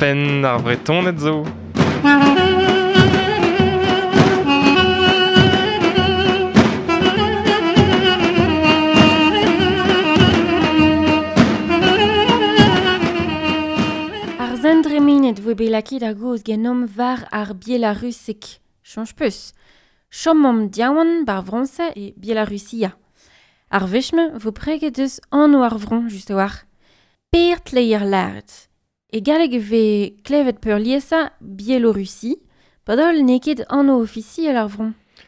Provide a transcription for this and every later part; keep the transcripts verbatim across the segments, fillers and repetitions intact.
Penn ar Vretoned zo. Ar zendremenet voe bet lakaet ar goz genomp war ar Bielarusek. Chañj peus. Chomomp diawan bar Frañs e Bielarussia. Ar wech-mañ vo preget eus anv ar vro just a-walc'h. Per tleier lâret. E galleg e vez klevet peurliesañ Biélorussie, padal n'eo ket anv ofisiel ar vro.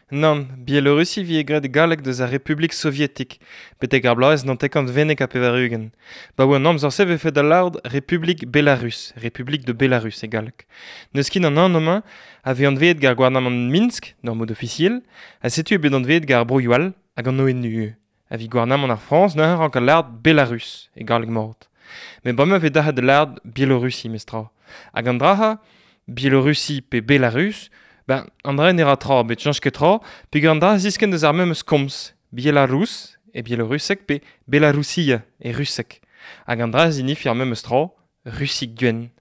Nann, Biélorussie vi e graet galleg deus ar Republik Sovietik, betek ar bloaz naontek vennek ha pevar-ugent. Ba oa an amzer-se vefe da lâret Republik Belarus, Republik de Belarus e galleg. N'eus ket an anv-mañ a vez anveet gant ar gouarnamant Minsk, d'ur mod ofisiel, ha setu eo bet anveet gant ar broioù all hag an O N U. A vit gouarnamant ar Frañs neuze rank al lâret Belarus e galleg mat. Met bremañ vez dac'het da lâret Biélorussie mestra. Hag an dra-ha, Biélorussie pe Belarus, ben, an dra ne ra tra, bet chañch ket tra, peogwir an dra a ziskenn deus ar memes komz, Bielarus e bielorusek pe Belarusia e rusek. Hag an dra a zinifi ar memes tra, Russie gwenn.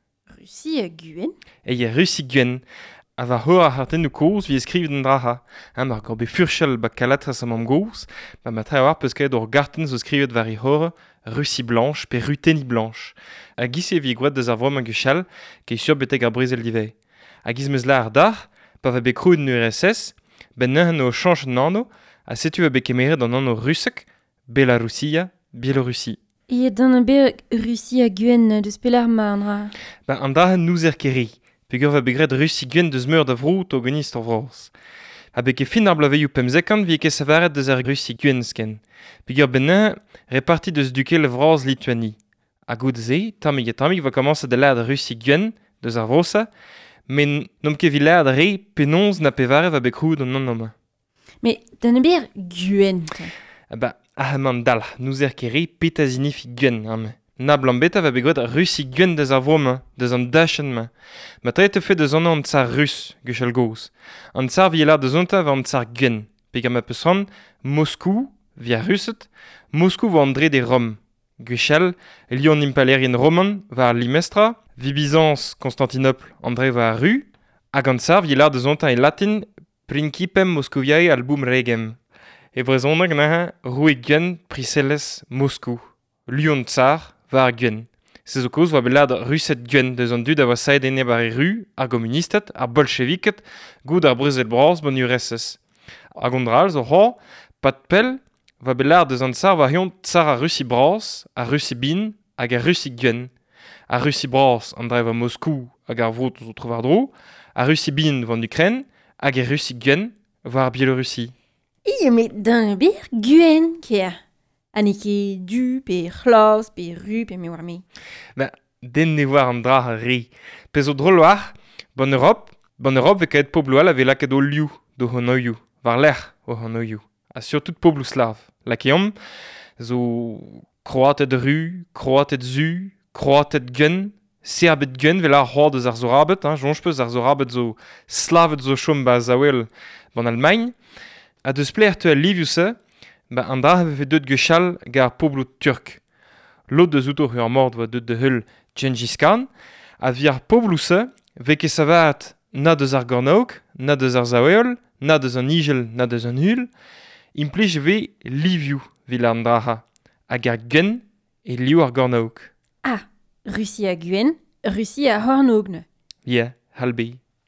Russie gwenn? E Russie gwenn. A va c'hor ar c'hartennoù kozh vi skrivet an dra-ha. Hein, mar gor bet furchal ba kalatras am am gozh, ba ma tre war peus kaet ur gartenn zo skrivet war he c'hor Russie blanche pe Ruthénie blanche. Hag giz e vi gwraet deus ar vro-mañ gwechall, ket sur betek ar brezel divez. Hag giz meus lâr dac'h, pa va bet krouet an U R S S, ben neuze o chañch an anv, ha setu va bet kemeret an anv rusek, Belarusia, Biélorussie. E dan an bet Russie gwenn deus pelar ma an dra. Ben an dra n'ouzer ket re. Peogwir va bet graet Russie gwenn deus meur da vro to genist ar vras. Ha bet ket fin ar bloavezhioù pemzekant vi ket savaret deus ar Russie gwenn sken. Peogwir ben neuze reparti deus dukel vras Lituanie. Ha goude-se, tammig ha tammig va komañset da lâret Russie gwenn deus ar vro-se, met n'omp ket evit lâret re penaos na pevare va bet krouet an anv-mañ. Met dan ber gwenn. Ah ba, ah man dalc'h, n'ouzer ket re petra zinifi gwenn, hein. Na blambeta va bet graet Russie gwenn deus ar vro-mañ, deus an dachenn-mañ. Ma tre te fe deus an an tsar rus, gwechall gozh. An tsar vi lâret deus onta va an tsar gwenn. Peogwir ma peus c'hoant, Moskou, via Russet, Moskou vo an dre de Rome. Gwechall, Lyon impalaerien roman war ar limestra, vi Byzance, Constantinople, an dre war ar ru, hag an tsar vi lâret deus onta e latin Principem Moscoviae album regem. E brezhoneg neuze, roue gwenn, priñselezh Moskou. Lyon tsar, war ar gwenn. Se zo kaoz oa bet lâret Rused gwenn deus an dud a oa saet enep ar ru, ar gomunisted, ar bolcheviked, goud ar brezel bras ban U R S S. Hag an dra all zo c'hoazh, pad pell, oa bet lâret deus an tsar war hiziv tsar ar Russie bras, ar Russie bin hag ar Russie gwenn. Ar Russie bras an dra oa Moskou hag ar vro zo tro-war-dro, ar Russie bin war an Ukraine hag ar Russie gwenn war ar Biélorussie. Ie, met dan ber gwenn, kea. Ha n'eo ket du, pe c'hlas, pe ru, pe me war me. Ben, den ne war an dra ar re. Pe zo drol war, ban Europe, ban Europe vez kaet pobloù all a vez lakaet o liv d'o c'hanoioù, war lerc'h o c'hanoioù. Ha surtout pobloù slav. Lakeomp zo Kroated ru, Kroated zu, Kroated gwenn, Serbed gwenn, vel ar c'hoar deus ar Zorabed, hein, soñj peus ar Zorabed zo Slaved zo chom ba Zaouel ban Allemagne. Ha deus pler teu al livioù-se, ba an dra a vefe deut gwechall gant ar pobloù turk. Lod deus outo ur mord oa deut da heul Gengis Khan, ha vi ar pobloù-se vez ket savaret na deus ar gornaog, na deus ar Zaouel, na deus an Igel, na deus an Hul, implij vez livioù vil an dra-ha, hag ar gwenn e liv ar gornaog. Ah, Russie a gwenn, Russie a c'hornôg. Yeah, halbe.